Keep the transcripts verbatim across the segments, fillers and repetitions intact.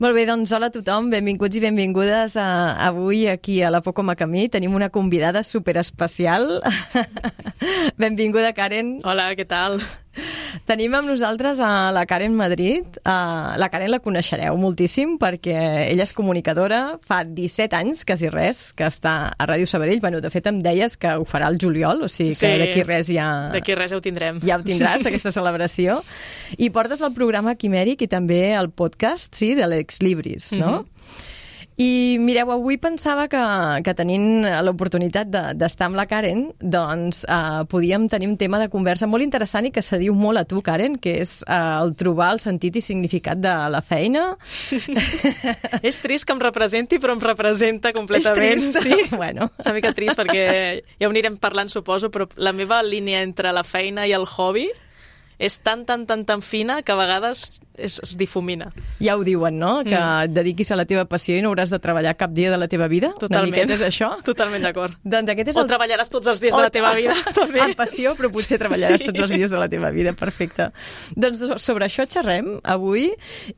Molt bé, doncs hola a tothom, benvinguts i benvingudes a, avui aquí a la Poco Macamí. Tenim una convidada superespecial. Benvinguda, Karen. Hola, què tal? Tenim amb nosaltres a la Karen Madrid. Uh, la Karen la coneixereu moltíssim perquè ella és comunicadora, fa disset anys, quasi res, que està a Ràdio Sabadell. Bueno, de fet, em deies que ho farà el juliol, o sigui que sí, d'aquí res ja... d'aquí res ja ho tindrem. Ja ho tindràs, aquesta celebració. I portes el programa Quimèric i també el podcast, sí, de l'Ex Libris, no? Mm-hmm. I mireu, avui pensava que, que tenint l'oportunitat d'estar amb la Karen, doncs eh, podíem tenir un tema de conversa molt interessant i que se diu molt a tu, Karen, que és eh, el trobar el sentit i significat de la feina. És trist que em representi, però em representa completament. És trist? Sí, bueno. És una mica trist perquè ja ho anirem parlant, suposo, però la meva línia entre la feina i el hobby és tan, tan, tan, tan fina que a vegades es, es difumina. Ja ho diuen, no? Que mm. et dediquis a la teva passió i no hauràs de treballar cap dia de la teva vida? Totalment. Una miqueta és això? Totalment d'acord. Doncs aquest és o el... treballaràs tots els dies o... de la teva vida, també. Amb passió, però potser treballaràs sí. tots els dies de la teva vida. Perfecte. Doncs sobre això xerrem avui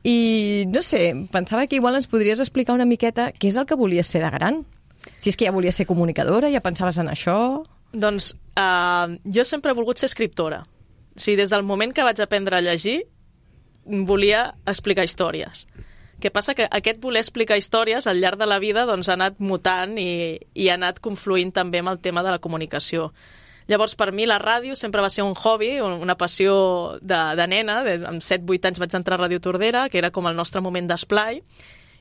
i, no sé, pensava que igual ens podries explicar una miqueta què és el que volies ser de gran. Si és que ja volies ser comunicadora, ja pensaves en això... Doncs uh, jo sempre he volgut ser escriptora. Sí, des del moment que vaig aprendre a llegir, volia explicar històries. Què passa? Que aquest voler explicar històries al llarg de la vida doncs, ha anat mutant i, i ha anat confluint també amb el tema de la comunicació. Llavors, per mi, la ràdio sempre va ser un hobby, una passió de, de nena. Amb set vuit anys vaig entrar a Ràdio Tordera, que era com el nostre moment d'esplai.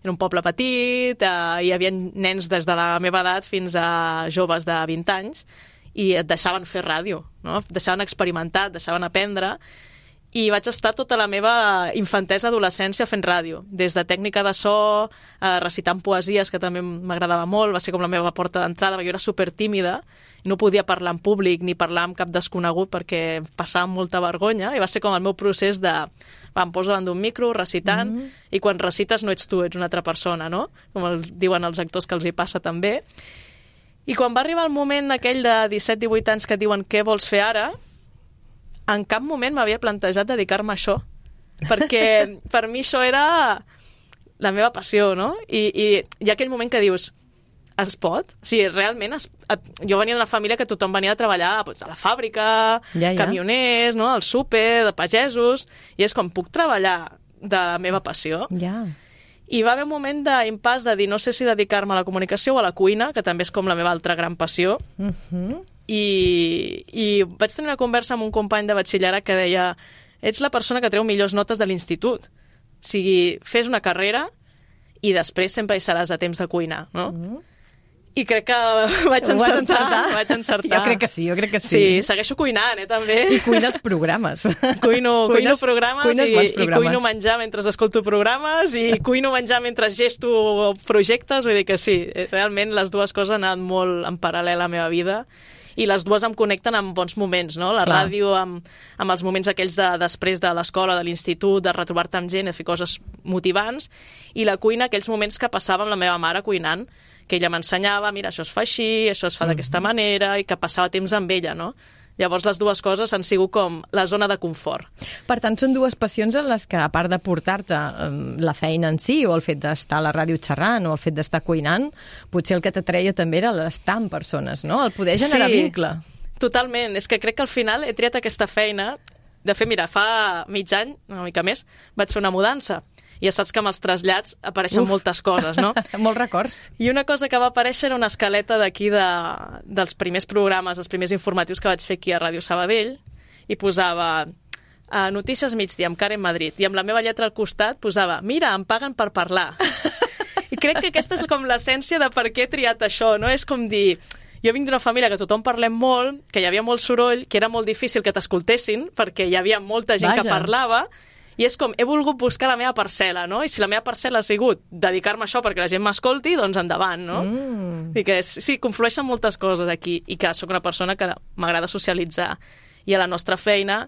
Era un poble petit, eh, hi havia nens des de la meva edat fins a joves de vint anys, i et deixaven fer ràdio, no? Et deixaven experimentar, et deixaven aprendre, i vaig estar tota la meva infantesa, adolescència fent ràdio, des de tècnica de so, eh, recitant poesies, que també m'agradava molt, va ser com la meva porta d'entrada, perquè jo era supertímida, no podia parlar en públic ni parlar amb cap desconegut perquè passava molta vergonya, i va ser com el meu procés de va, em poso davant d'un micro, recitant, mm-hmm. i quan recites no ets tu, ets una altra persona, no? Com el, diuen els actors que els hi passa també. I quan va arribar el moment aquell de disset divuit anys que et diuen què vols fer ara, en cap moment m'havia plantejat dedicar-me a això. Perquè per mi això era la meva passió, no? I, i hi ha aquell moment que dius, es pot? O sigui, realment, es, jo venia d'una família que tothom venia a treballar doncs, a la fàbrica, ja, ja. camioners, no? Al súper, de pagesos, i és com, puc treballar de la meva passió? Ja. I va haver un moment d'impàs de dir no sé si dedicar-me a la comunicació o a la cuina, que també és com la meva altra gran passió. Uh-huh. I, I vaig tenir una conversa amb un company de batxillerat que deia ets la persona que treu millors notes de l'institut. O sigui, fes una carrera i després sempre hi seràs a temps de cuinar, no? Uh-huh. I crec que vaig encertar, vaig encertar. Jo crec que sí, jo crec que sí. Sí, segueixo cuinant, eh, també. I cuines programes. Cuino, cuines, cuino programes, cuines i, programes i cuino menjar mentre escolto programes i cuino menjar mentre gesto projectes, vull dir que sí, realment les dues coses han anat molt en paral·lel a la meva vida i les dues em connecten amb bons moments, no? La Clar. Ràdio amb, amb els moments aquells de, després de l'escola, de l'institut, de retrobar-te amb gent, de fer coses motivants, i la cuina, aquells moments que passava amb la meva mare cuinant, que ella m'ensenyava, mira, això es fa així, això es fa mm. d'aquesta manera, i que passava temps amb ella, no? Llavors les dues coses han sigut com la zona de confort. Per tant, són dues passions en les que, a part de portar-te um, la feina en si, o el fet d'estar a la ràdio xerrant, o el fet d'estar cuinant, potser el que t'atreia també era l'estar amb persones, no? El poder generar sí, vincle. Totalment. És que crec que al final he triat aquesta feina. De fet, mira, fa mig any, una mica més, vaig fer una mudança. I ja saps que amb els trasllats apareixen Uf. moltes coses, no? Molts records. I una cosa que va aparèixer era una escaleta d'aquí de, dels primers programes, els primers informatius que vaig fer aquí a Ràdio Sabadell, i posava uh, Notícies migdia amb Karen Madrid, i amb la meva lletra al costat posava mira, em paguen per parlar. I crec que aquesta és com l'essència de per què he triat això, no? És com dir, jo vinc d'una família que tothom parlem molt, que hi havia molt soroll, que era molt difícil que t'escoltessin, perquè hi havia molta gent Vaja. que parlava, i és com, he volgut buscar la meva parcel·la, no? I si la meva parcel·la ha sigut dedicar-me a això perquè la gent m'escolti, doncs endavant, no? Mm. I que sí, conflueixen moltes coses aquí, i que sóc una persona que m'agrada socialitzar. I a la nostra feina,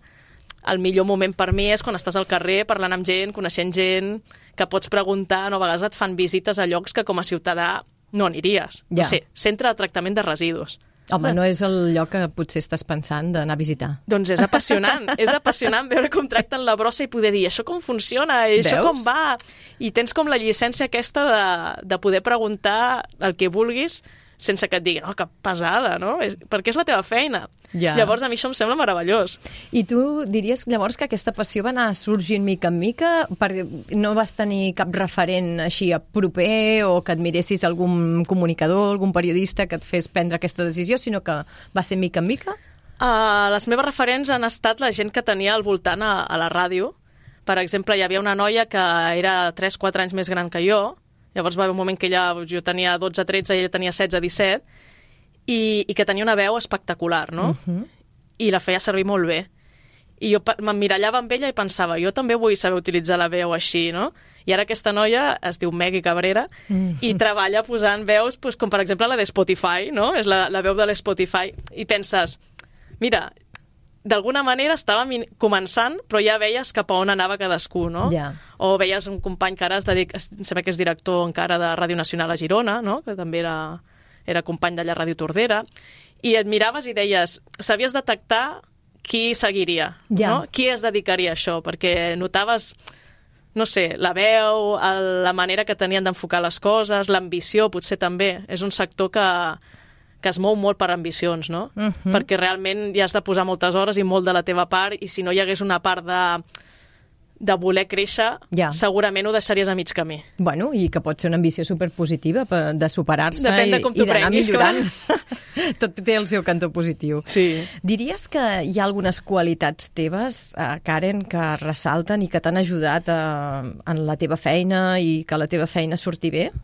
el millor moment per mi és quan estàs al carrer parlant amb gent, coneixent gent, que pots preguntar, no? A vegades et fan visites a llocs que com a ciutadà no aniries. Ja. No sé, centre de tractament de residus. Home, no és el lloc que potser estàs pensant d'anar a visitar. Doncs és apassionant, és apassionant veure com tracten la brossa i poder dir això com funciona, i això Veus? com va, i tens com la llicència aquesta de, de poder preguntar el que vulguis sense que et diguin, oh, que pesada, no? Perquè és la teva feina. Ja. Llavors, a mi això em sembla meravellós. I tu diries llavors que aquesta passió va anar sorgint mica en mica? Perquè no vas tenir cap referent així a proper o que admiressis algun comunicador, algun periodista que et fes prendre aquesta decisió, sinó que va ser mica en mica? Uh, les meves referents han estat la gent que tenia al voltant a, a la ràdio. Per exemple, hi havia una noia que era tres quatre anys més gran que jo. Llavors va haver un moment que ella, jo tenia dotze tretze i ella tenia setze disset, i, i que tenia una veu espectacular, no? Uh-huh. I la feia servir molt bé. I jo m'emmirallava amb ella i pensava, jo també vull saber utilitzar la veu així, no? I ara aquesta noia es diu Megui Cabrera uh-huh. i treballa posant veus, pues, com per exemple la de Spotify, no? És la, la veu de l'Spotify. I penses, mira, d'alguna manera estava començant, però ja veies cap a on anava cadascú, no? Yeah. O veies un company que ara es dedica, sembla que és director encara de Ràdio Nacional a Girona, no? Que també era, era company d'allà a Ràdio Tordera, i et miraves i deies, sabies detectar qui seguiria, yeah. no? Qui es dedicaria a això, perquè notaves, no sé, la veu, la manera que tenien d'enfocar les coses, l'ambició potser també. És un sector que que es mou molt per ambicions, no? Uh-huh. Perquè realment hi has de posar moltes hores i molt de la teva part, i si no hi hagués una part de, de voler créixer, ja. segurament ho deixaries a mig camí. Bueno, i que pot ser una ambició superpositiva de superar-se i, i d'anar millorant. Tot té el seu cantó positiu. Sí. Diries que hi ha algunes qualitats teves, eh, Karen, que ressalten i que t'han ajudat a, en la teva feina i que la teva feina surti bé?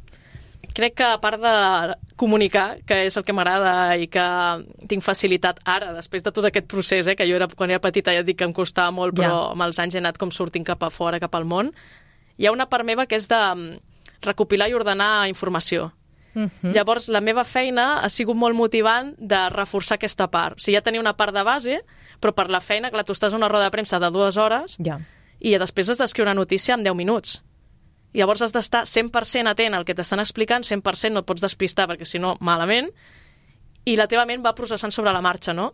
Crec que a part de comunicar, que és el que m'agrada i que tinc facilitat ara, després de tot aquest procés, eh, que jo era, quan era petita ja et dic que em costava molt, però yeah. amb els anys he anat com sortint cap a fora, cap al món, hi ha una part meva que és de recopilar i ordenar informació. Uh-huh. Llavors, la meva feina ha sigut molt motivant de reforçar aquesta part. O sigui, ja tenia una part de base, però per la feina, clar, tu estàs a una roda de premsa de dues hores yeah. i després has d'escriure una notícia en deu minuts. Llavors has d'estar cent per cent atent al que t'estan explicant, cent per cent no et pots despistar perquè si no, malament, i la teva ment va processant sobre la marxa, no?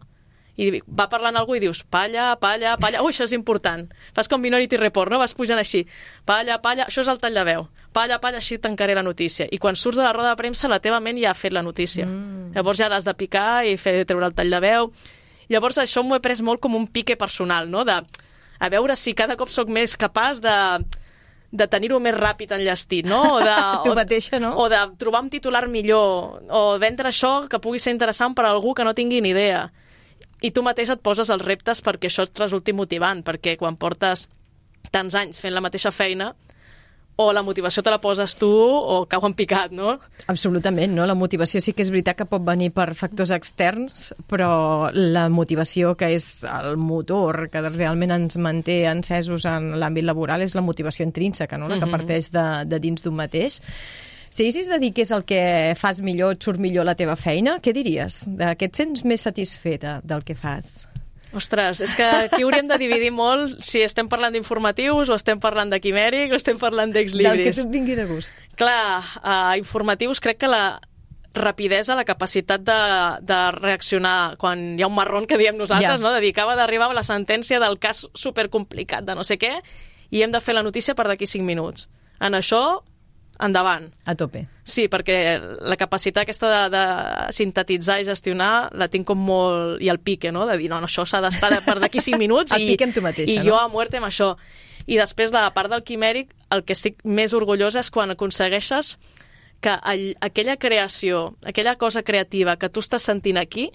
I va parlant algú i dius, palla, palla, palla, ui, això és important. Fas com Minority Report, no? Vas pujant així, palla, palla, això és el tall de veu, palla, palla, així tancaré la notícia. I quan surts de la roda de premsa, la teva ment ja ha fet la notícia. Mm. Llavors ja l'has de picar i fer treure el tall de veu. Llavors això m'ho he pres molt com un pique personal, no? De, a veure si cada cop sóc més capaç de... de tenir-ho més ràpid enllestit, no? O de, tu mateixa, no? O de trobar un titular millor, o vendre això que pugui ser interessant per a algú que no tingui ni idea. I tu mateix et poses els reptes perquè això et resulti motivant, perquè quan portes tants anys fent la mateixa feina, o la motivació te la poses tu o cau en picat, no? Absolutament, no? La motivació sí que és veritat que pot venir per factors externs, però la motivació que és el motor que realment ens manté encesos en l'àmbit laboral és la motivació intrínseca, no? La que parteix de, de dins d'un mateix. Si haguessis de dir què és el que fas millor, et surt millor la teva feina, què diries? De què et sents més satisfeta del que fas? Ostres, és que aquí hauríem de dividir molt si estem parlant d'informatius o estem parlant de quimèric o estem parlant d'exlibris. Del que tu et vingui de gust. Clar, uh, informatius crec que la rapidesa, la capacitat de, de reaccionar quan hi ha un marrón que diem nosaltres, ja. no? Dedicava d'arribar a la sentència del cas supercomplicat de no sé què i hem de fer la notícia per d'aquí cinc minuts. En això, endavant. A tope. Sí, perquè la capacitat aquesta de, de sintetitzar i gestionar la tinc com molt... I el pique, no? De dir, no, no això s'ha d'estar per d'aquí cinc minuts el i, pique amb tu mateixa, i no? jo a muerte amb això. I després, la part del quimèric, el que estic més orgullosa és quan aconsegueixes que all, aquella creació, aquella cosa creativa que tu estàs sentint aquí,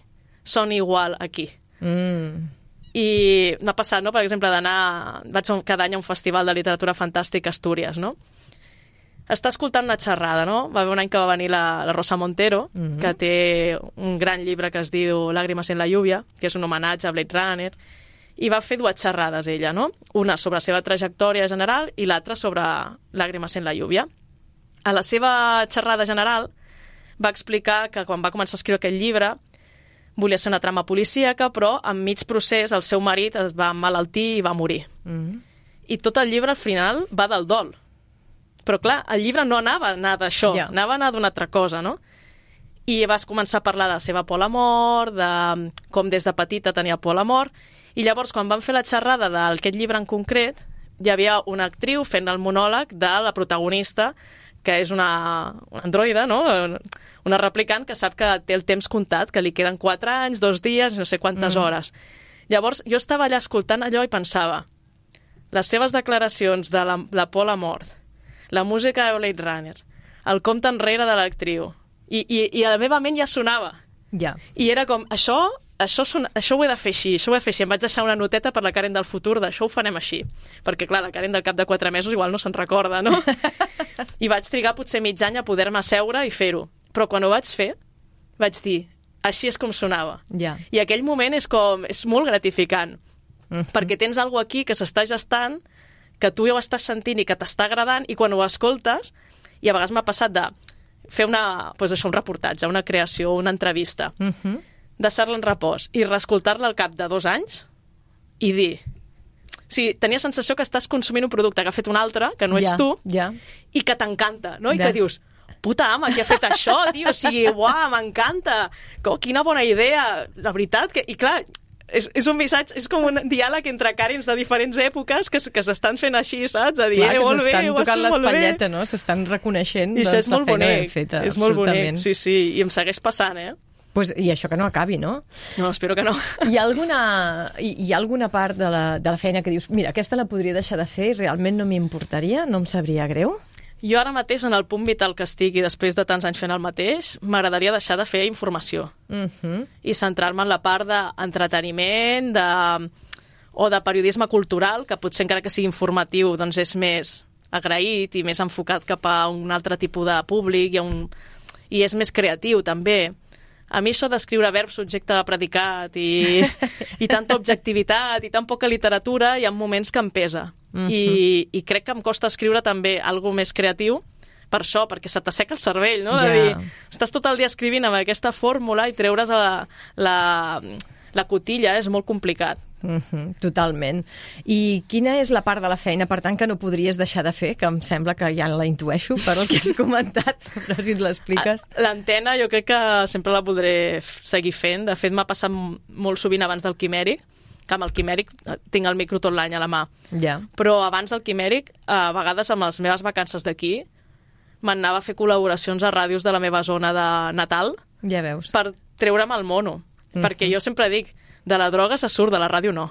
soni igual aquí. Mm. I m'ha passat, no? Per exemple, d'anar... Vaig cada any a un festival de literatura fantàstica a Astúries, no? Està escoltant una xerrada, no? Va haver un any que va venir la, la Rosa Montero, mm-hmm. que té un gran llibre que es diu Lágrimas en la lluvia, que és un homenatge a Blade Runner, i va fer dues xerrades ella, no? Una sobre la seva trajectòria general i l'altra sobre Lágrimas en la lluvia. A la seva xerrada general va explicar que quan va començar a escriure aquest llibre volia ser una trama policíaca, però en mig procés el seu marit es va emmalaltir i va morir. Mm-hmm. I tot el llibre al final va del dol. Però clar, el llibre no anava a anar d'això, yeah. anava a anar d'una altra cosa, no? i vas començar a parlar de la seva por a la mort, de com des de petita tenia por a la mort, i llavors quan van fer la xerrada d'aquest llibre en concret, hi havia una actriu fent el monòleg de la protagonista, que és una, una androide, no? Una replicant que sap que té el temps comptat, que li queden quatre anys, dos dies, no sé quantes mm. hores. Llavors, jo estava allà escoltant allò i pensava, les seves declaracions de la, la por a la mort, la música de Blade Runner, el compte enrere de l'actriu, i, i, i a la meva ment ja sonava. Ja. I era com, això, això, son, això ho he de fer així, això ho he de fer així. Em vaig deixar una noteta per la Karen del futur d'això ho farem així. Perquè, clar, la Karen del cap de quatre mesos igual no se'n recorda, no? I vaig trigar potser mig any a poder-me asseure i fer-ho. Però quan ho vaig fer, vaig dir, així és com sonava. Ja. I aquell moment és com, és molt gratificant. Mm-hmm. Perquè tens alguna aquí que s'està gestant, que tu ja ho estàs sentint i que t'està agradant, i quan ho escoltes, i a vegades m'ha passat de fer una, doncs això, un reportatge, una creació, una entrevista, Mm-hmm. deixar-la en repòs i reescoltar-la al cap de dos anys i dir... O sigui, tenia sensació que estàs consumint un producte que ha fet un altre, que no ets ja, tu, ja. i que t'encanta, no? I Ja. que dius, puta ama, qui ha fet això, tio? O sigui, uau, m'encanta! Oh, quina bona idea! La veritat que... I clar, és, és un missatge, és com un diàleg entre Karens de diferents èpoques que, que s'estan fent així, saps? A dir, Clar, eh, que molt bé, s'estan ho has tocant fet molt bé. l'espatlleta, no? S'estan reconeixent I doncs, això és la molt feina ben bonic, feta. és molt absolutament. bonic, sí, sí, i em segueix passant, eh? Pues, I això que no acabi, no? No, espero que no. Hi ha alguna, hi, hi ha alguna part de la, de la feina que dius, mira, aquesta la podria deixar de fer i realment no m'importaria, no em sabria greu? Jo ara mateix, en el punt vital que estic i després de tants anys fent el mateix, m'agradaria deixar de fer informació Uh-huh. i centrar-me en la part d'entreteniment de... o de periodisme cultural, que potser encara que sigui informatiu doncs és més agraït i més enfocat cap a un altre tipus de públic i, un... i és més creatiu també. A mi això d'escriure verb, subjecte, predicat i, i tanta objectivitat i tan poca literatura, hi ha moments que em pesa. Uh-huh. I, I crec que em costa escriure també alguna més creatiu per això, perquè se t'asseca el cervell, no? De Ja. dir, estàs tot el dia escrivint amb aquesta fórmula i treure's la, la, la cotilla és molt complicat. Uh-huh, totalment. I quina és la part de la feina, per tant, que no podries deixar de fer, que em sembla que ja la intueixo per el que has comentat, però si ens l'expliques. L'antena jo crec que sempre la podré seguir fent. De fet, m'ha passat molt sovint abans del quimèric, que amb el quimèric tinc el micro tot l'any a la mà. Ja. Però abans del quimèric, a vegades amb les meves vacances d'aquí, m'anava a fer col·laboracions a ràdios de la meva zona de natal Ja veus. per treure'm el mono. Mhm. Perquè jo sempre dic, de la droga se surt, de la ràdio no.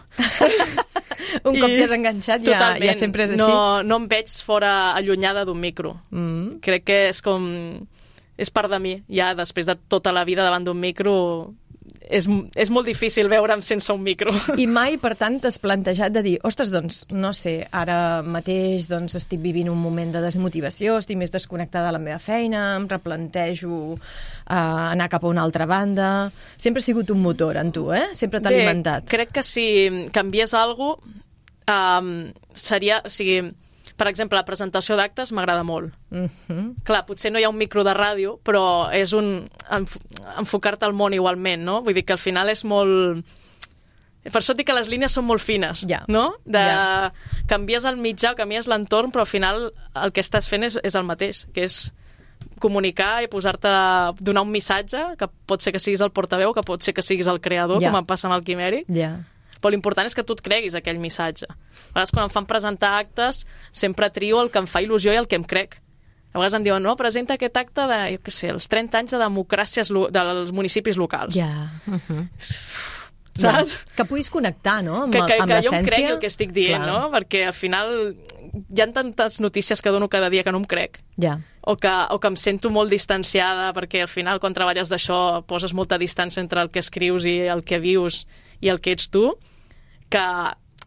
Un cop I t'hi has enganxat ja, totalment, ja sempre és així. No, no em veig fora allunyada d'un micro. Mm. Crec que és com... és part de mi. Ja després de tota la vida davant d'un micro és, és molt difícil veure'm sense un micro. I mai, per tant, t'has plantejat de dir, ostres, doncs, no sé, ara mateix doncs, estic vivint un moment de desmotivació, estic més desconnectada de la meva feina, em replantejo uh, anar cap a una altra banda... Sempre ha sigut un motor en tu, eh? Sempre t'ha alimentat. Crec que si canviés alguna cosa, um, seria... O sigui, per exemple, la presentació d'actes m'agrada molt. Uh-huh. Clar, potser no hi ha un micro de ràdio, però és un enf enfocar-te al món igualment, no? Vull dir que al final és molt... Per això et dic que les línies són molt fines, Ja. no? De... Ja. Canvies el mitjà, canvies l'entorn, però al final el que estàs fent és, és el mateix, que és comunicar i posar-te... donar un missatge, que pot ser que siguis el portaveu, que pot ser que siguis el creador, Ja. com em passa amb el quimèric, Ja. però l'important és que tu et creguis aquell missatge. A vegades quan em fan presentar actes sempre trio el que em fa il·lusió i el que em crec. A vegades em diuen, no, presenta aquest acte de, jo què sé, els trenta anys de democràcies dels municipis locals. Ja. Uh-huh. Saps? Ja. Que puguis connectar, no?, amb, Que, que, amb que jo em l'essència. cregui el que estic dient, Clar. no? Perquè al final hi ha tantes notícies que dono cada dia que no em crec. Ja. O que, o que em sento molt distanciada, perquè al final quan treballes d'això poses molta distància entre el que escrius i el que vius i el que ets tu, que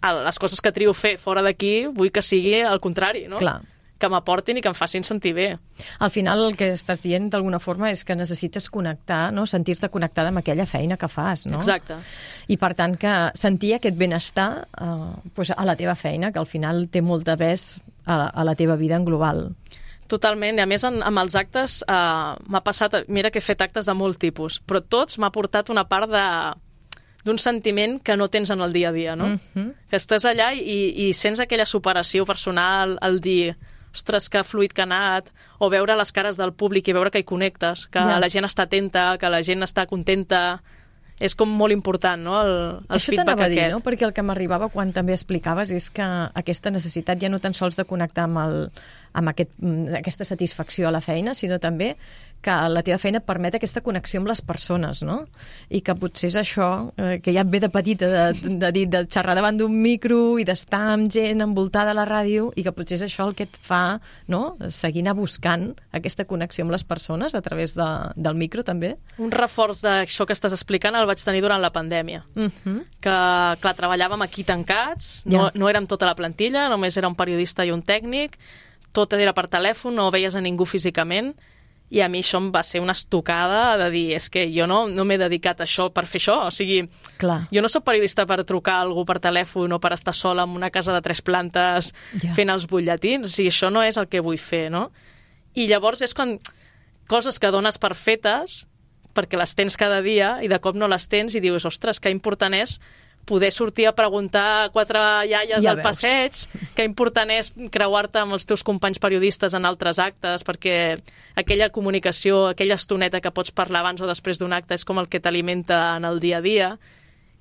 les coses que trio fer fora d'aquí vull que sigui al contrari, no? Clar. Que m'aportin i que em facin sentir bé. Al final el que estàs dient d'alguna forma és que necessites connectar, no?, sentir-te connectada amb aquella feina que fas, no? Exacte. I per tant que sentir aquest benestar eh, pues a la teva feina, que al final té molt de pes a la, a la teva vida en global. Totalment, i a més en, amb els actes eh, m'ha passat, mira que he fet actes de molt tipus, però tots m'ha portat una part de d'un sentiment que no tens en el dia a dia, no? Mm-hmm. Que estàs allà i, i sents aquella superació personal, el dir, ostres, que fluid que ha anat, o veure les cares del públic i veure que hi connectes, que Ja. la gent està atenta, que la gent està contenta. És com molt important, no?, el, el Això feedback t'anava a dir, aquest. no? Perquè el que m'arribava quan també explicaves és que aquesta necessitat ja no tan sols de connectar amb, el, amb aquest, aquesta satisfacció a la feina, sinó també que la teva feina et permet aquesta connexió amb les persones, no? I que potser és això, eh, que ja et ve de petita, de, de, de, de xerrar davant d'un micro i d'estar amb gent envoltada a la ràdio, i que potser és això el que et fa, no?, seguir anar buscant aquesta connexió amb les persones a través de, del micro, també. Un reforç d'això que estàs explicant el vaig tenir durant la pandèmia. Uh -huh. Que, clar, treballàvem aquí tancats, no, Ja. no érem tota la plantilla, només era un periodista i un tècnic, tot era per telèfon, no veies a ningú físicament, i a mi això em va ser una estocada de dir, és que jo no, no m'he dedicat a això per fer això, o sigui, Clar. jo no sóc periodista per trucar a algú per telèfon o per estar sola en una casa de tres plantes Ja. fent els butlletins, o sigui, això no és el que vull fer, no? I llavors és quan coses que dones per fetes, perquè les tens cada dia i de cop no les tens i dius, ostres, que important és poder sortir a preguntar a quatre iaies Ja al veus. passeig, que important és creuar-te amb els teus companys periodistes en altres actes, perquè aquella comunicació, aquella estoneta que pots parlar abans o després d'un acte és com el que t'alimenta en el dia a dia.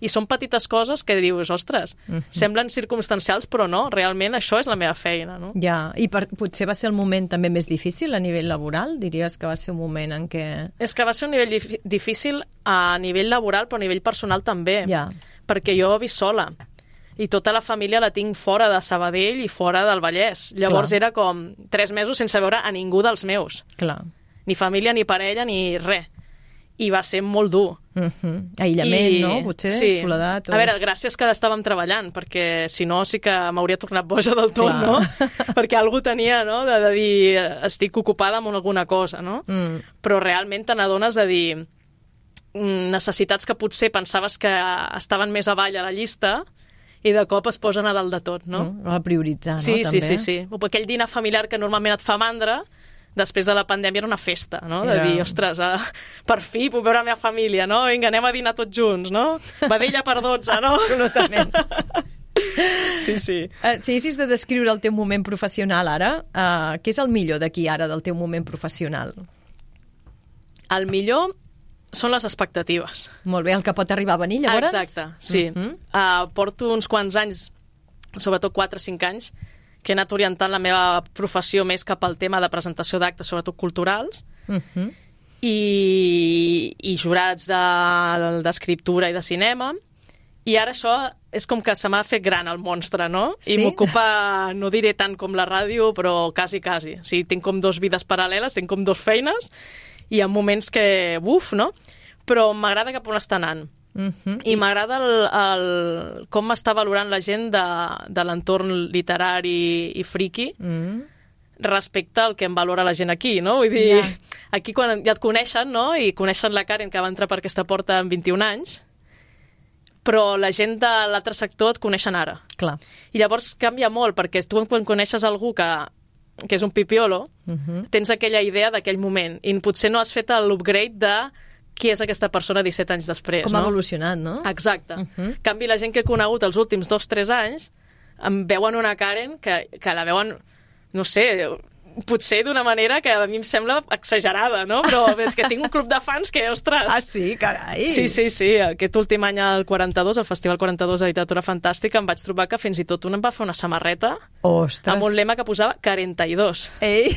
I són petites coses que dius, ostres, Mhm. semblen circumstancials, però no, realment això és la meva feina, no? Ja, i per, potser va ser el moment també més difícil a nivell laboral? Diries que va ser un moment en què... És que va ser un nivell dif- difícil a nivell laboral, però a nivell personal també. Ja, Perquè jo visc sola i tota la família la tinc fora de Sabadell i fora del Vallès. Llavors Clar. era com tres mesos sense veure a ningú dels meus. clar. Ni família, ni parella, ni res. I va ser molt dur. Uh -huh. Aïllament, I... no? Potser, sí. soledat. O... A veure, gràcies que estàvem treballant, perquè si no sí que m'hauria tornat boja del tot, Clar. no? Perquè algú tenia, no?, de, de dir estic ocupada amb alguna cosa, no? Mm. Però realment te n'adones de dir necessitats que potser pensaves que estaven més avall a la llista i de cop es posen a dalt de tot, no? no? A prioritzar, Sí, no? sí, També. sí, sí. Aquell dinar familiar que normalment et fa mandra, després de la pandèmia era una festa, no? De Era- dir, ostres, ah, per fi puc veure la meva família, no? Vinga, anem a dinar tots junts, no? Vedella per dotze, no? Absolutament. Sí, sí. Uh, si haguessis de descriure el teu moment professional ara, uh, què és el millor d'aquí ara del teu moment professional? El millor són les expectatives. Molt bé, el que pot arribar a venir, llavors? Exacte, sí. Uh -huh. uh, porto uns quants anys, sobretot quatre o cinc anys, que he anat orientant la meva professió més cap al tema de presentació d'actes, sobretot culturals, Uh -huh. i, i jurats de- d'escriptura i de cinema, i ara això és com que se m'ha fet gran el monstre, no? I Sí? m'ocupa, no diré tant com la ràdio, però quasi, quasi. O sigui, tinc com dos vides paral·leles, tinc com dos feines, i hi ha moments que, uf, no? Però m'agrada cap on està anant. Uh -huh. I m'agrada el, el, com m'està valorant la gent de, de l'entorn literari i friki Mm. respecte al que em valora la gent aquí, no? Vull dir, Ja. aquí quan ja et coneixen, no?, i coneixen la Karen, que va entrar per aquesta porta amb vint-i-un anys, però la gent de l'altre sector et coneixen ara. Clar. I llavors canvia molt, perquè tu quan coneixes algú que, que és un pipiolo, Uh -huh. tens aquella idea d'aquell moment, i potser no has fet l'upgrade de qui és aquesta persona disset anys després, Com no? ha evolucionat, no? Exacte. Uh -huh. En canvi, la gent que he conegut els últims dos o tres anys em veuen una Karen que, que la veuen, no sé, potser d'una manera que a mi em sembla exagerada, no? Però és que tinc un club de fans que, ostres... Ah, sí? Carai! Sí, sí, sí. Aquest últim any al quaranta-dos, al Festival quaranta-dos de Literatura Fantàstica, em vaig trobar que fins i tot un em va fer una samarreta Ostres! amb un lema que posava quaranta-dos. Ei!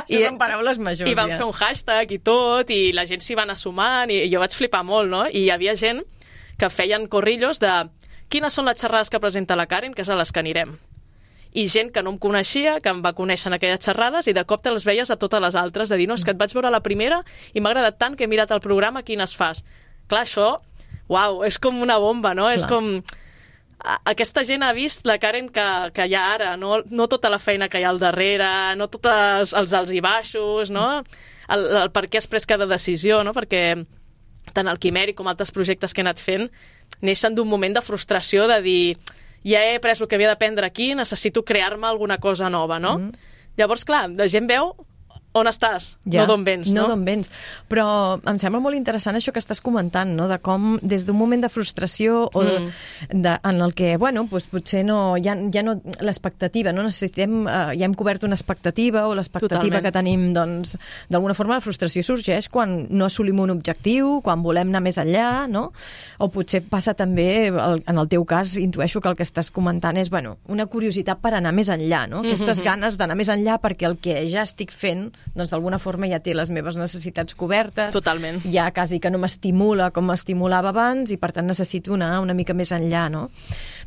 I- Això són paraules majors, I van ja. fer un hashtag i tot, i la gent s'hi va anar sumant, i jo vaig flipar molt, no? I hi havia gent que feien corrillos de quines són les xerrades que presenta la Karen, que és a les que anirem. I gent que no em coneixia, que em va conèixer en aquelles xerrades, i de cop te les veies a totes les altres, de dir, no, és que et vaig veure la primera i m'ha agradat tant que he mirat el programa, quines fas. Clar, això, uau, és com una bomba, no? Clar. És com... a- Aquesta gent ha vist la Karen que, que hi ha ara, no, no tota la feina que hi ha al darrere, no tots els alts i baixos, no? El, el per què has pres cada decisió, no? Perquè tant el Quimèric com altres projectes que he anat fent neixen d'un moment de frustració de dir ja he pres el que havia d'aprendre aquí, necessito crear-me alguna cosa nova, no? Mm. Llavors, clar, la gent veu on estàs, ja, no d'on vens, no? No d'on vens. Però em sembla molt interessant això que estàs comentant, no? De com des d'un moment de frustració o de, mm. de, en el que, bueno, doncs potser no, ja, ja no l'expectativa, no necessitem, eh, ja hem cobert una expectativa o l'expectativa que tenim, doncs, d'alguna forma la frustració sorgeix quan no assolim un objectiu, quan volem anar més enllà, no? O potser passa també, el, en el teu cas, intueixo que el que estàs comentant és, bueno, una curiositat per anar més enllà, no? Aquestes mm-hmm. ganes d'anar més enllà perquè el que ja estic fent doncs d'alguna forma ja té les meves necessitats cobertes. Totalment. Ja quasi que no m'estimula com m'estimulava abans i per tant necessito anar una mica més enllà, no?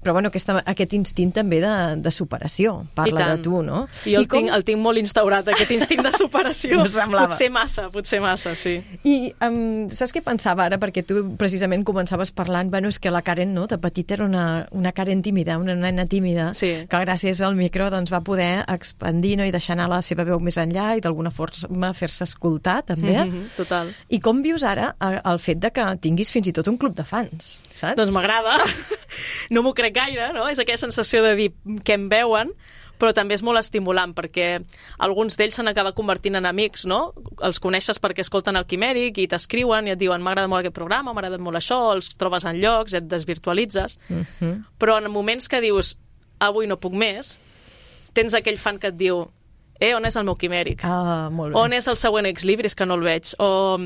Però bueno, aquesta, aquest instint també de, de superació parla de tu, no? I jo el, com... tinc, el tinc molt instaurat, aquest instint de superació. Potser massa, potser massa, sí. I um, saps què pensava ara? Perquè tu precisament començaves parlant, bueno, és que la Karen, no?, de petita era una, una Karen tímida, una nena tímida, sí. que gràcies al micro doncs, va poder expandir, no?, i deixar anar la seva veu més enllà i d'alguna forma fer-se escoltar, també. Mm-hmm, total. I com vius ara el fet de que tinguis fins i tot un club de fans, saps? Doncs m'agrada. No m'ho crec gaire, no? És aquella sensació de dir què em veuen, però també és molt estimulant perquè alguns d'ells s'han acabat convertint en amics, no? Els coneixes perquè escolten el Quimèric i t'escriuen i et diuen m'ha agradat molt aquest programa, m'ha agradat molt això, els trobes en llocs, et desvirtualitzes. Mm-hmm. Però en moments que dius avui no puc més, tens aquell fan que et diu eh, on és el meu Quimèric? Ah, molt bé. On és el següent Exlibris que no el veig? O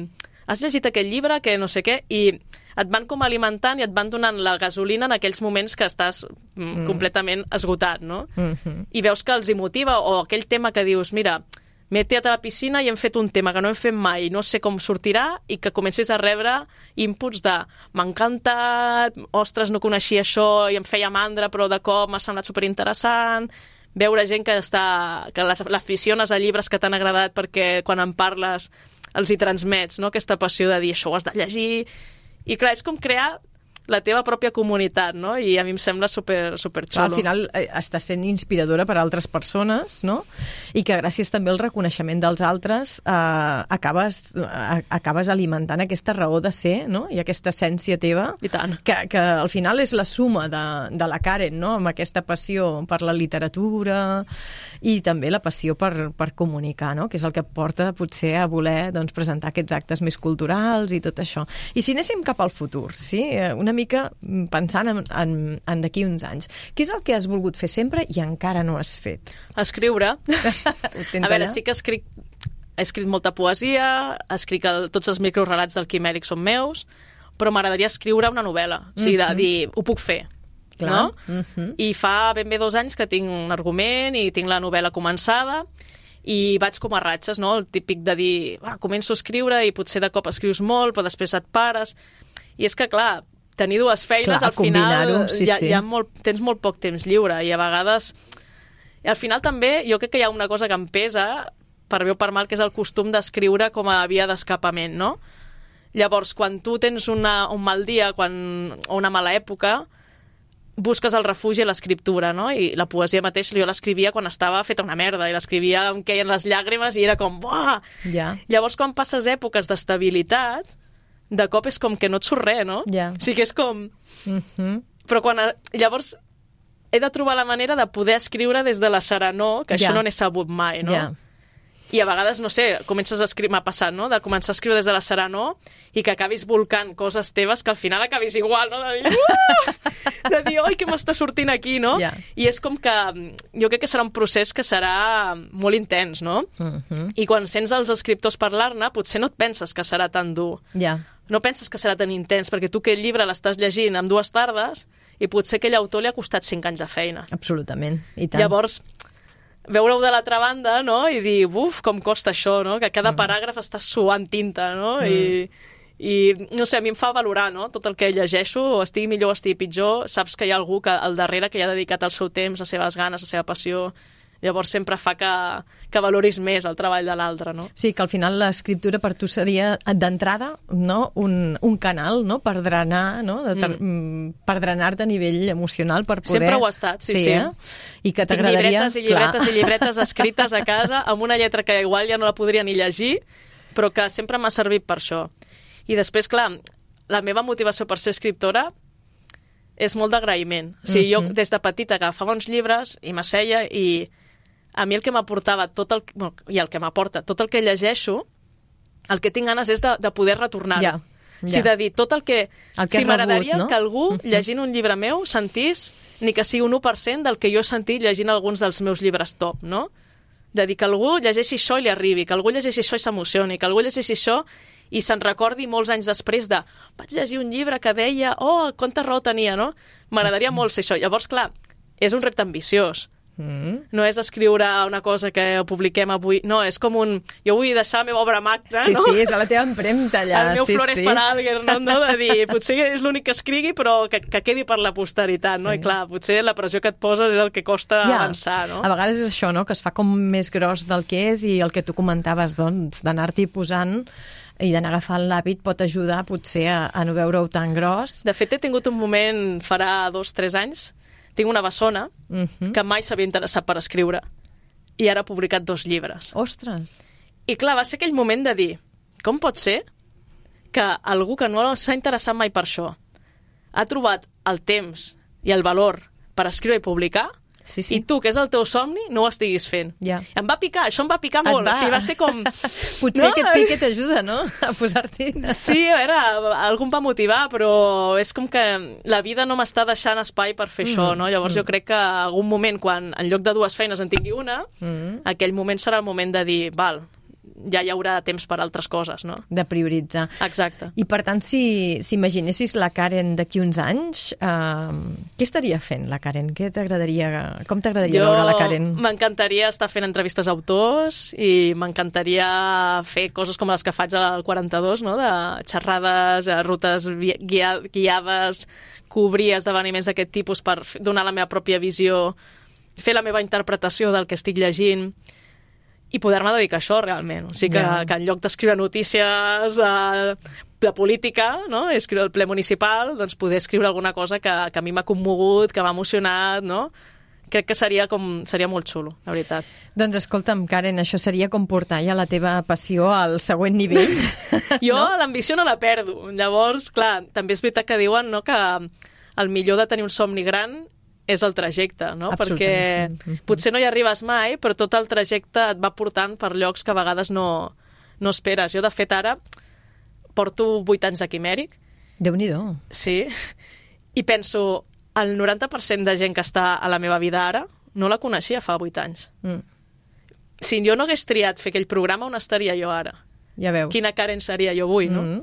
has llegit aquest llibre que no sé què? I et van com alimentant i et van donant la gasolina en aquells moments que estàs mm. completament esgotat, no? Mm-hmm. I veus que els hi motiva, o aquell tema que dius, mira, m'he tirat a la piscina i hem fet un tema que no hem fet mai, no sé com sortirà, i que comencis a rebre inputs de m'ha encantat, ostres, no coneixia això i em feia mandra, però de cop m'ha semblat superinteressant, veure gent que està que l'aficiones a llibres que t'han agradat perquè quan en parles els hi transmets, no?, aquesta passió de dir això ho has de llegir. I clar, és com crear la teva pròpia comunitat, no? I a mi em sembla super, super xulo. Al final eh, estàs sent inspiradora per a altres persones, no? I que gràcies també al reconeixement dels altres eh, acabes, eh, acabes alimentant aquesta raó de ser, no? I aquesta essència teva. I tant. Que, que al final és la suma de, de la Karen, no? Amb aquesta passió per la literatura i també la passió per, per comunicar, no? Que és el que porta potser a voler doncs, presentar aquests actes més culturals i tot això. I si anéssim cap al futur, sí? Una mica pensant en, en, en d'aquí uns anys. Què és el que has volgut fer sempre i encara no has fet? Escriure. A veure, allà? Sí que escric, he escrit molta poesia, escric el, tots els microrelats del Quimèric són meus, però m'agradaria escriure una novel·la. O sigui, de dir, ho puc fer. Clar. No? Uh-huh. I fa ben bé dos anys que tinc un argument i tinc la novel·la començada i vaig com a ratxes, no? El típic de dir, ah, començo a escriure i potser de cop escrius molt, però després et pares. I és que, clar, tenir dues feines, clar, al final sí, ja, sí. ja molt, tens molt poc temps lliure i a vegades... I al final també jo crec que hi ha una cosa que em pesa, per bé o per mal, que és el costum d'escriure com a via d'escapament, no? Llavors, quan tu tens una, un mal dia quan, o una mala època, busques el refugi a l'escriptura, no? I la poesia mateix jo l'escrivia quan estava feta una merda, i l'escrivia em queien les llàgrimes i era com, buah! Ja. Llavors, quan passes èpoques d'estabilitat, de cop és com que no et surt res, no? Ja. O sigui que és com... Uh-huh. Però quan... Llavors he de trobar la manera de poder escriure des de la serenor, que ja. Això no n'he sabut mai, no? Ja. I a vegades, no sé, comences a escriure, m'ha passat, no?, de començar a escriure des de la serenor i que acabis volcant coses teves que al final acabis igual, no?, de dir, uh! de dir, oi, què m'està sortint aquí, no? Yeah. I és com que jo crec que serà un procés que serà molt intens, no? Uh-huh. I quan sents els escriptors parlar-ne, potser no et penses que serà tan dur. Ja. Yeah. No penses que serà tan intens, perquè tu aquell llibre l'estàs llegint en dues tardes i potser aquell autor li ha costat cinc anys de feina. Absolutament, i tant. Llavors, veure-ho de l'altra banda, no?, i dir, buf, com costa això, no?, que cada mm. paràgraf està suant tinta, no?, mm. I, i, no sé, a mi em fa valorar, no?, tot el que llegeixo, o estigui millor o estigui pitjor, saps que hi ha algú que al darrere que hi ha dedicat el seu temps, les seves ganes, la seva passió, llavors sempre fa que, que valoris més el treball de l'altre, no? Sí, que al final l'escriptura per tu seria, d'entrada, no? un, un canal, no?, per drenar, no?, de ter... mm. per drenar-te a nivell emocional, per poder... Sempre ho ha estat, sí, sí. sí. Eh? I que t'agradaria... llibretes i llibretes Clar. i llibretes escrites a casa, amb una lletra que igual ja no la podria ni llegir, però que sempre m'ha servit per això. I després, clar, la meva motivació per ser escriptora és molt d'agraïment. O sigui, mm-hmm. jo des de petita agafava uns llibres i m'asseia i a mi el que m'aportava tot el... Bueno, i el que m'aporta tot el que llegeixo, el que tinc ganes és de, de poder retornar-ho. Ja, ja. Sí, de dir tot el que... El que si has m'agradaria rebut, no? que algú, llegint un llibre meu, sentís ni que sigui un u per cent del que jo he sentit llegint alguns dels meus llibres top, no? De dir que algú llegeixi això i li arribi, que algú llegeixi això i s'emocioni, que algú llegeixi això i se'n recordi molts anys després de vaig llegir un llibre que deia oh, quanta raó tenia, no? M'agradaria molt ser això. Llavors, clar, és un repte ambiciós. Mm. No és escriure una cosa que publiquem avui, no, és com un... Jo vull deixar la meva obra magna, sí, no? Sí, és la teva empremta allà. El meu sí, Flores sí. per Alger, no? no? De dir, potser és l'únic que escrigui, però que, que quedi per la posteritat, sí. no? I clar, potser la pressió que et poses és el que costa ja. avançar, no? A vegades és això, no?, que es fa com més gros del que és i el que tu comentaves, doncs, d'anar-t'hi posant i d'anar agafant l'hàbit pot ajudar potser a, a no veure-ho tan gros. De fet, he tingut un moment, farà dos, tres anys, tinc una bessona uh-huh. que mai s'havia interessat per escriure i ara ha publicat dos llibres. Ostres! I clar, va ser aquell moment de dir, com pot ser que algú que no s'ha interessat mai per això ha trobat el temps i el valor per escriure i publicar sí, sí. i tu, que és el teu somni, no ho estiguis fent. Ja. Em va picar, això em va picar molt. Va. O sigui, va ser com... Potser no? aquest pic t'ajuda, no?, a posar-t'hi... Sí, a veure, algú em va motivar, però és com que la vida no m'està deixant espai per fer mm. això, no? Llavors mm. jo crec que algun moment, quan en lloc de dues feines en tingui una, mm. aquell moment serà el moment de dir, val, ja hi haurà temps per altres coses, no? De prioritzar. Exacte. I per tant, si, si imaginessis la Karen d'aquí uns anys, eh, què estaria fent la Karen? Què t'agradaria, com t'agradaria veure la Karen? M'encantaria estar fent entrevistes a autors i m'encantaria fer coses com les que faig al quaranta-dos, no? De xerrades, rutes guia, guiades, cobrir esdeveniments d'aquest tipus per donar la meva pròpia visió, fer la meva interpretació del que estic llegint i poder-me dedicar a això realment. O sigui que, yeah. que en lloc d'escriure notícies de, de política, no? Escriure el ple municipal, doncs poder escriure alguna cosa que, que a mi m'ha commogut, que m'ha emocionat, no? Crec que seria, com, seria molt xulo, la veritat. Doncs escolta'm, Karen, això seria com portar ja la teva passió al següent nivell. Jo no? l'ambició no la perdo. Llavors, clar, també és veritat que diuen, no?, que el millor de tenir un somni gran és el trajecte, no? Perquè potser no hi arribes mai, però tot el trajecte et va portant per llocs que a vegades no, no esperes. Jo, de fet, ara porto vuit anys de quimèric. Déu-n'hi-do. Sí. I penso, el noranta per cent de gent que està a la meva vida ara no la coneixia fa vuit anys. Mm. Si jo no hagués triat fer aquell programa, on estaria jo ara? Ja veus. Quina Karen seria jo avui, no? Mm.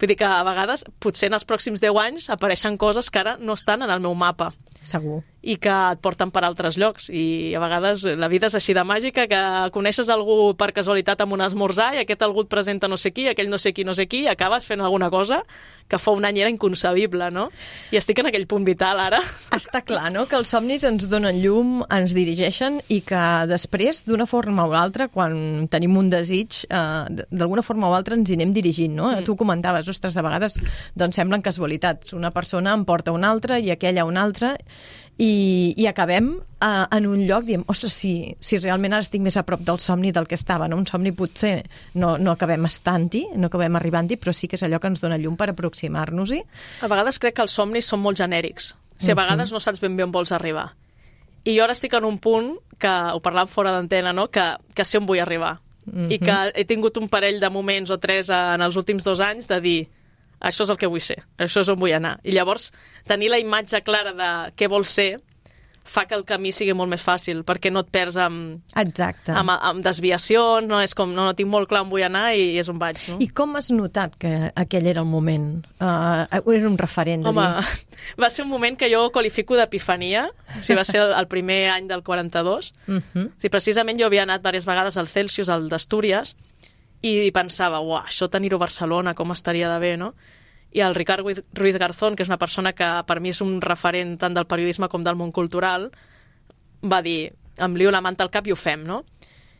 Vull dir que a vegades, potser en els pròxims deu anys, apareixen coses que ara no estan en el meu mapa. Segur. I que et porten per altres llocs. I a vegades la vida és així de màgica, que coneixes algú per casualitat amb un esmorzar i aquest algú et presenta no sé qui, aquell no sé qui, no sé qui, i acabes fent alguna cosa que fa un any era inconcebible, no? I estic en aquell punt vital ara. Està clar, no?, que els somnis ens donen llum, ens dirigeixen i que després, d'una forma o altra, quan tenim un desig, eh, d'alguna forma o altra ens hi anem dirigint, no? Mm. Tu comentaves, ostres, a vegades doncs semblen casualitats. Una persona em porta una altra i aquella una altra i, i acabem uh, en un lloc, diem, ostres, si, si realment ara estic més a prop del somni del que estava, no? Un somni potser no, no acabem estant-hi, no acabem arribant-hi, però sí que és allò que ens dona llum per aproximar-nos-hi. A vegades crec que els somnis són molt genèrics. O sigui, a vegades no saps ben bé on vols arribar. I jo ara estic en un punt, que ho parlàvem fora d'antena, no?, que, que sé on vull arribar. Uh-huh. I que he tingut un parell de moments o tres en els últims dos anys de dir això és el que vull ser, això és on vull anar. I llavors, tenir la imatge clara de què vols ser fa que el camí sigui molt més fàcil, perquè no et perds amb, Exacte. amb, amb desviacions, no? És com, no, no tinc molt clar on vull anar i, i és on vaig. No? I com has notat que aquell era el moment? Uh, era un referent de Home, dir... va ser un moment que jo qualifico d'epifania, o sigui, va ser el, el primer any del quaranta-dos. Uh-huh. O sigui, precisament jo havia anat diverses vegades al Celsius, al d'Astúries, i pensava, uah, això tenir-ho a Barcelona, com estaria de bé, no? I el Ricard Ruiz Garzón, que és una persona que per mi és un referent tant del periodisme com del món cultural, va dir, em lio la manta al cap i ho fem, no?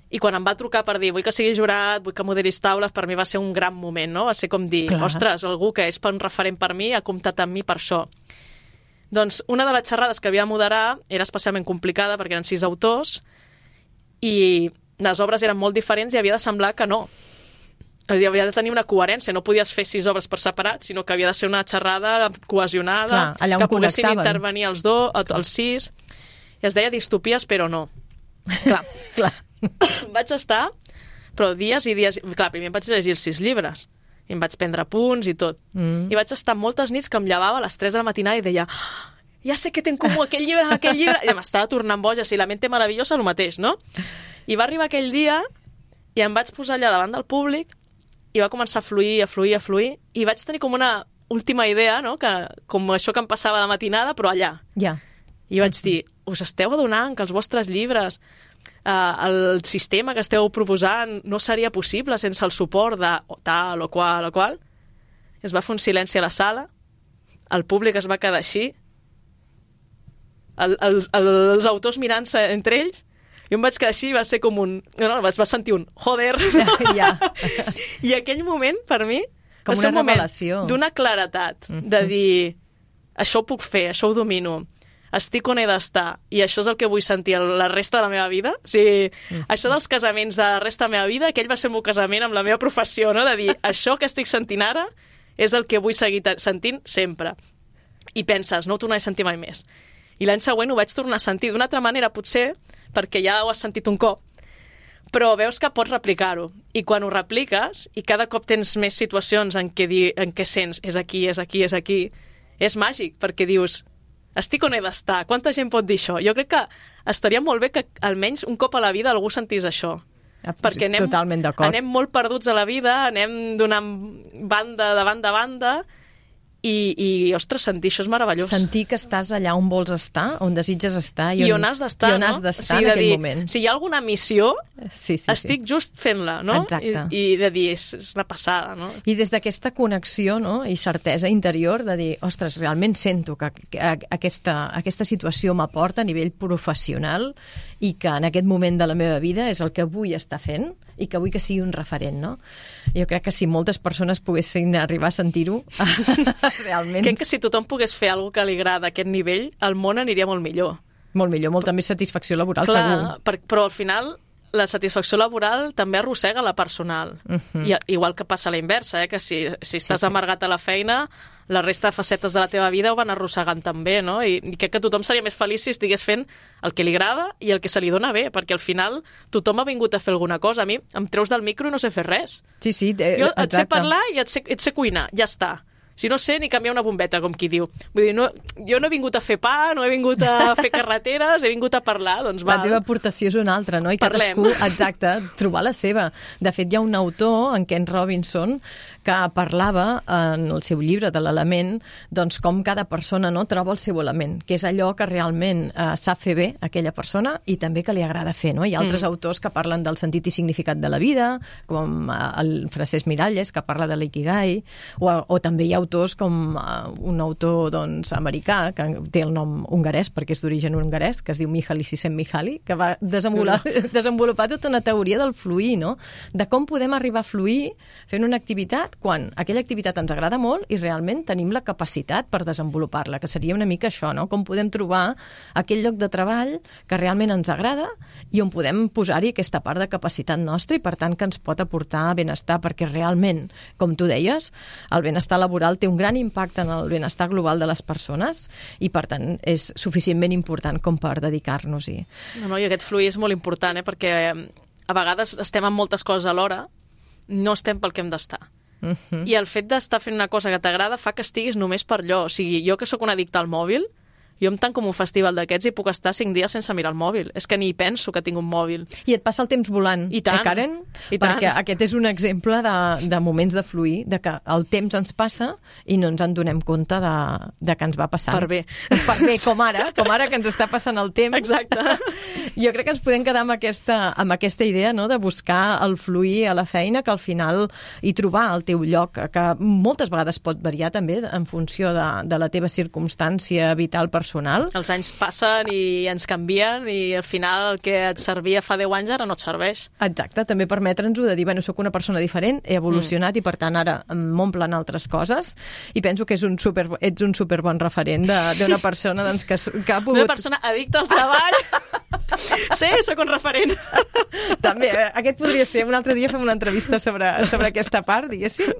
I quan em va trucar per dir, vull que sigui jurat, vull que moderis taules, per mi va ser un gran moment, no? Va ser com dir, Clar. ostres, algú que és un referent per mi ha comptat amb mi per això. Doncs una de les xerrades que havia de moderar era especialment complicada perquè eren sis autors i les obres eren molt diferents i havia de semblar que no. Havia de tenir una coherència, no podies fer sis obres per separat, sinó que havia de ser una xerrada cohesionada, Clar, que poguessin intervenir els dos, els sis, i es deia distopies, però no. Clar, Clar. vaig estar, però dies i dies... Clar, primer em vaig llegir els sis llibres, i em vaig prendre punts i tot. Mm. I vaig estar moltes nits que em llevava a les tres de la matinada i deia oh, ja sé que té en comú aquell llibre amb aquell llibre, i m'estava tornant boja, si la mente meravellosa, el mateix, no? I va arribar aquell dia i em vaig posar allà davant del públic i va començar a fluir, a fluir, a fluir, i vaig tenir com una última idea, no? Que, com això que em passava a la matinada, però allà. Ja. I vaig dir, us esteu adonant que els vostres llibres, eh, el sistema que esteu proposant no seria possible sense el suport de tal o qual o qual? Es va fer un silenci a la sala, el públic es va quedar així, el, el, el, els autors mirant-se entre ells, jo em vaig quedar així i va ser com un... No, no, vas sentir un joder. Ja. I aquell moment, per mi, com va ser un moment d'una claretat, Mm-hmm. de dir, això ho puc fer, això ho domino, estic on he d'estar, i això és el que vull sentir la resta de la meva vida. O sigui, mm-hmm. això dels casaments de la resta de la meva vida, aquell va ser el meu casament amb la meva professió, no? De dir, això que estic sentint ara és el que vull seguir sentint sempre. I penses, no ho tornaré a sentir mai més. I l'any següent ho vaig tornar a sentir d'una altra manera, potser, perquè ja ho has sentit un cop, però veus que pots replicar-ho. I quan ho repliques, i cada cop tens més situacions en què, di, en què sents és aquí, és aquí, és aquí, és màgic, perquè dius, estic on he d'estar, quanta gent pot dir això? Jo crec que estaria molt bé que almenys un cop a la vida algú sentís això. Ah, perquè anem, totalment d'acord. anem molt perduts a la vida, anem donant banda de banda a banda, i, i ostres, sentir això és meravellós. Sentir que estàs allà on vols estar, on desitges estar i on, I on has d'estar, i on has no? d'estar sí, en aquell dir, moment. Si hi ha alguna missió, sí, sí, estic sí. just fent-la, no? Exacte. I, i de dir, és, és una passada, no? I des d'aquesta connexió, no?, i certesa interior de dir, ostres, realment sento que, que aquesta, aquesta situació m'aporta a nivell professional i que en aquest moment de la meva vida és el que vull estar fent i que vull que sigui un referent, no? Jo crec que si moltes persones poguessin arribar a sentir-ho, realment... Crec que si tothom pogués fer alguna que li agrada a aquest nivell, el món aniria molt millor. Molt millor, molta més satisfacció laboral, Clar, segur. Per, però al final la satisfacció laboral també arrossega la personal. Uh-huh. I, igual que passa a la inversa, eh? Que si, si estàs sí, sí. amargat a la feina, la resta de facetes de la teva vida ho van arrossegant també, no? I, i crec que tothom seria més feliç si estigués fent el que li agrada i el que se li dona bé, perquè al final tothom ha vingut a fer alguna cosa. A mi em treus del micro i no sé fer res. Sí, sí, eh, jo et exacte. sé parlar i et sé, et sé cuinar, ja està. Si no sé ni canviar una bombeta, com qui diu. Vull dir, no, jo no he vingut a fer pa, no he vingut a fer carreteres, he vingut a parlar, doncs va. La teva aportació és una altra, no? I Parlem. cadascú, exacte, trobar la seva. De fet, hi ha un autor, en Ken Robinson, que parlava en el seu llibre de l'element, doncs com cada persona no troba el seu element, que és allò que realment eh, sap fer bé aquella persona i també que li agrada fer, no? Hi ha altres mm. autors que parlen del sentit i significat de la vida, com eh, el Francesc Miralles, que parla de l'ikigai, o, o també hi ha autors com uh, un autor doncs, americà, que té el nom hongarès, perquè és d'origen hongarès, que es diu Mihaly Csikszentmihalyi, que va desenvolupar, no. desenvolupar tota una teoria del fluir, no? De com podem arribar a fluir fent una activitat quan aquella activitat ens agrada molt i realment tenim la capacitat per desenvolupar-la, que seria una mica això, no? Com podem trobar aquell lloc de treball que realment ens agrada i on podem posar-hi aquesta part de capacitat nostra i, per tant, que ens pot aportar benestar, perquè realment, com tu deies, el benestar laboral té un gran impacte en el benestar global de les persones i, per tant, és suficientment important com per dedicar-nos-hi. No, no, i aquest fluir és molt important, eh? Perquè a vegades estem en moltes coses alhora, no estem pel que hem d'estar. Uh-huh. I el fet d'estar fent una cosa que t'agrada fa que estiguis només per allò. O sigui, jo que sóc una addicta al mòbil, jo em tanco en un festival d'aquests i puc estar cinc dies sense mirar el mòbil. És que ni penso que tinc un mòbil. I et passa el temps volant, I tant, eh, Karen? I Perquè tant. aquest és un exemple de, de moments de fluir, de que el temps ens passa i no ens en donem compte de, de que ens va passant. Per bé. Per bé, com ara, com ara que ens està passant el temps. Exacte. Jo crec que ens podem quedar amb aquesta, amb aquesta idea, no?, de buscar el fluir a la feina, que al final hi trobar el teu lloc, que moltes vegades pot variar també en funció de, de la teva circumstància vital personal. Els anys passen i ens canvien i al final el que et servia fa deu anys ara no et serveix. Exacte, també permetre'ns-ho de dir, bueno, sóc una persona diferent, he evolucionat mm. i per tant ara m'omplen altres coses i penso que és un super, ets un superbon referent d'una persona doncs, que, que ha pogut... Una persona addicta al treball. Sí, sóc un referent. També, aquest podria ser, un altre dia fem una entrevista sobre, sobre aquesta part, diguéssim,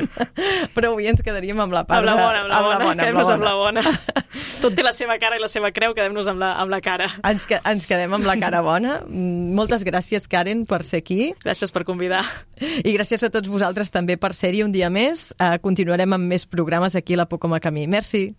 però avui ens quedaríem amb la part amb la bona, amb la, amb bona, la bona, amb la bona. Amb la bona. Tot té la seva cara i la seva creu, quedem-nos amb la, amb la cara. Ens, que, ens quedem amb la cara bona. Moltes gràcies, Karen, per ser aquí. Gràcies per convidar. I gràcies a tots vosaltres també per ser-hi un dia més. Uh, continuarem amb més programes aquí a la Pocoma Camí. Merci.